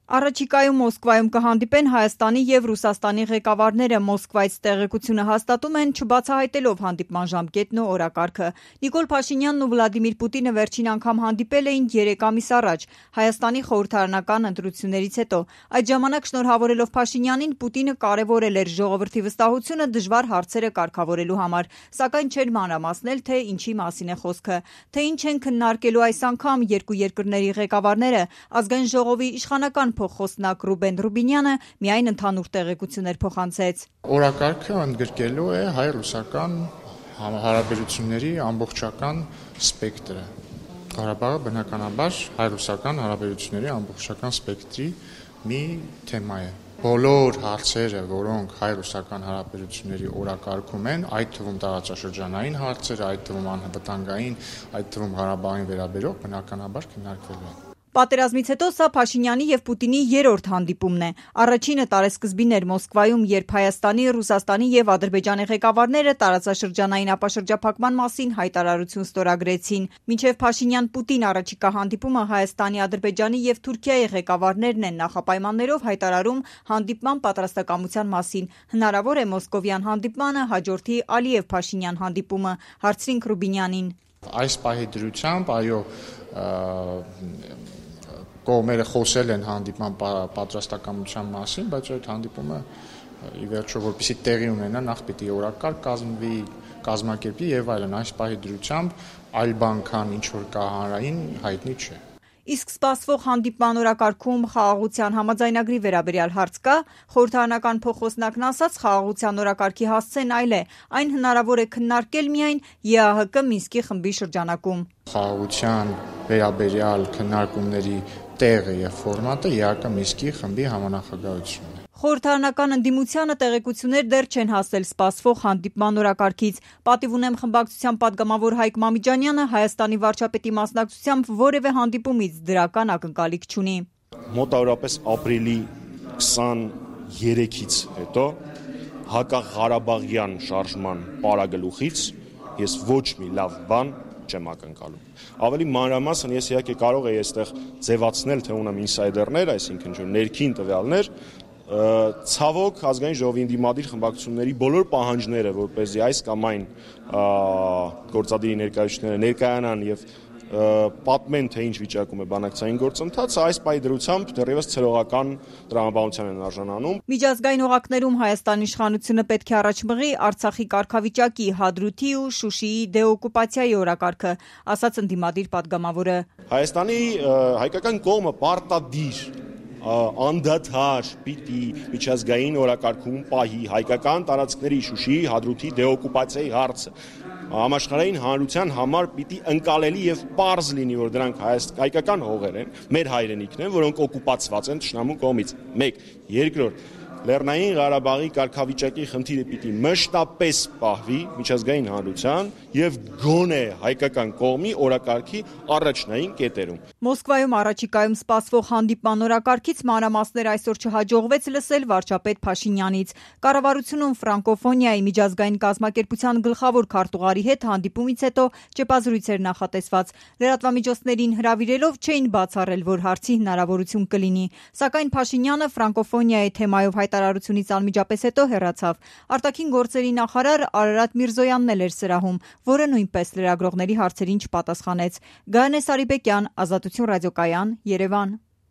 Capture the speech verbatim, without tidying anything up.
Առաջիկայում Մոսկվայում կհանդիպեն Հայաստանի և Ռուսաստանի ղեկավարները։ Մոսկվայից տեղեկությունը հաստատում են, չբացահայտելով հանդիպման ժամկետն ու օրակարգը։ Նիկոլ Փաշինյանն ու Վլադիմիր Պուտինը վերջին անգամ հանդիպել էին երեք ամիս առաջ Հայաստանի խորհրդարանական ընտրություններից հետո։ Այդ ժամանակ շնորհավորելով Փաշինյանին, Պուտինը կարևորել էր ժողովրդի վստահությունը դժվար հարցերը կարգավորելու համար, սակայն չէր մանրամասնել, թե ինչի մասին է խոսքը, թե ինչ են քննարկելու այս անգամ երկու երկրների ղեկավարները։ Ազգային ժողովի իշխանական փոխխոսնակ Ռուբեն Ռուբինյանը միայն ընդհանուր տեղեկություններ փոխանցեց։ Օրակարգը ընդգրկելու է հայ-ռուսական հարաբերությունների ամբողջական սպեկտրը։ Ղարաբաղը բնականաբար հայ-ռուսական հարաբերությունների ամբողջական սպեկտրի մի թեմա է։ Բոլոր հարցերը, որոնք հայ-ռուսական հարաբերությունների օրակարգում են, այդ թվում տարածաշրջանային հարցերը, այդ թվում անվտանգային, այդ թվում Ղարաբաղին վերաբերող, բնականաբար քննարկվելու են։ Պատերազմից հետո սա Փաշինյանի և Պուտինի երրորդ հանդիպումն է։ Առաջինը տարեսկզբին էր Մոսկվայում, երբ Հայաստանի, Ռուսաստանի և Ադրբեջանի ղեկավարները տարածաշրջանային ապաշրջափակման մասին հայտարարություն ստորագրեցին։ Մինչև Փաշինյան-Պուտին առաջիկա հանդիպումը Հայաստանի, Ադրբեջանի և Թուրքիայի ղեկավարներն են նախապայմաններով հայտարարում հանդիպման պատրաստակամության մասին։ Հնարավոր է մոսկովյան հանդիպմանը հաջորդի Ալիև-Փաշինյան հանդիպումը, հարցրինք Ռուբինյանին։ Այս պահի դրությամբ, այո, կողմերը խոսել են հանդիպման պատրաստակամության մասին, բայց այդ հանդիպումը ի վերջո որպեսզի տեղի ունենա, նախ պիտի օրակարգ կազմվի, կազմակերպվի եւ այլն, այս պահի դրությամբ այլ բան, քան ինչ որ կա հանրային, հայտնի չէ։ Իսկ սպասվող հանդիպման օրակարգում խաղաղության համաձայնագրի վերաբերյալ հարց կա։ Խորհրդարանական փոխխոսնակն ասաց, խաղաղության օրակարգի հասցեն այլ է, այն հնարավոր է քննարկել միայն ԵԱՀԿ Մինսկի խմբի շրջանակում։ Խաղաղության վերաբերյալ քննարկումների տեղը եւ ֆորմատը ԵԱՀԿ Մինսկի խմբի համանախագահությունն է։ Խորհրդարանական ընդդիմությանը տեղեկություններ դեռ չեն հասել սպասվող հանդիպման օրակարգից։ Պատիվ ունեմ խմբակցության падգամավոր Հայկ Մամիջանյանը Հայաստանի վարչապետի մասնակցությամբ որևէ հանդիպումից դրական ակնկալիք չունի։ Մոտավորապես ապրիլի քսաներեքից հետո հակաղարաբաղյան շարժման պարագլուխից ես ոչ մի լավ բան չեմ ակնկալում։ Ավելի մանրամասն ես իհարկե կարող եի այստեղ ձևացնել, թե ունեմ ինսայդերներ, այսինքն ներքին տվյալներ, ցավոք ազգային ժողովի ընդդիմադիր խմբակցությունների բոլոր պահանջները, որպեսզի այս կամ այն գործադիրի ներկայացուցիչները ներկայանան եւ պատմեն, թե ինչ վիճակում է բանակցային գործընթացը, այս պահի դրությամբ դեռևս ցելողական տրամաբանության են արժանանում։ Միջազգային օղակներում Հայաստանի իշխանությունը պետք է առաջ մղի Արցախի կարգավիճակի, Հադրութի ու Շուշիի դեօկուպացիայի օրակարգը, ասաց ընդդիմադիր падգամավորը։ Հայաստանի հայկական կողմը պարտադիր անդադար պիտի միջազգային օրակարգում պահի հայկական տարածքների Շուշիի, Հադրութի դեօկուպացիայի հարցը։ Համաշխարհային հանրության համար պիտի ընկալելի եւ պարզ լինի, որ դրանք հայկական հողեր են, մեր հայրենիքն են, որոնք օկուպացված են թշնամու կողմից։ Մեկ, երկրորդ, Լեռնային Ղարաբաղի կարգավիճակի խնդիրը պիտի մշտապես պահվի միջազգային հանրության եւ գոնե հայկական կողմի օրակարգի առաջնային կետերում։ Մոսկվայում առաջիկայում սպասվող հանդիպման օրակարգից մանրամասներ այսօր չհաջողվեց լսել վարչապետ Փաշինյանից։ Կառավարությունում ֆրանկոֆոնիայի միջազգային կազմակերպության գլխավոր քարտուղարի հետ հանդիպումից հետո ճեպազրույց էր նախատեսված։ Լրատվամիջոցներին հրավիրելով չէին բացառել, որ հարցի հնարավորություն կլինի, սակայն Փաշինյանը ֆրանկոֆոնիայի թեմայով հայտարարությունից անմիջապես հետո հեռացավ։ Արտաքին գործերի նախարար Արարատ Միրզոյանն էլ էր սրահում, որը նույնպես լրագրողների հարցերին չպատասխանեց։ Գայանե Սարիբեկյան, Ազատություն ռադիոկայան, Երևան։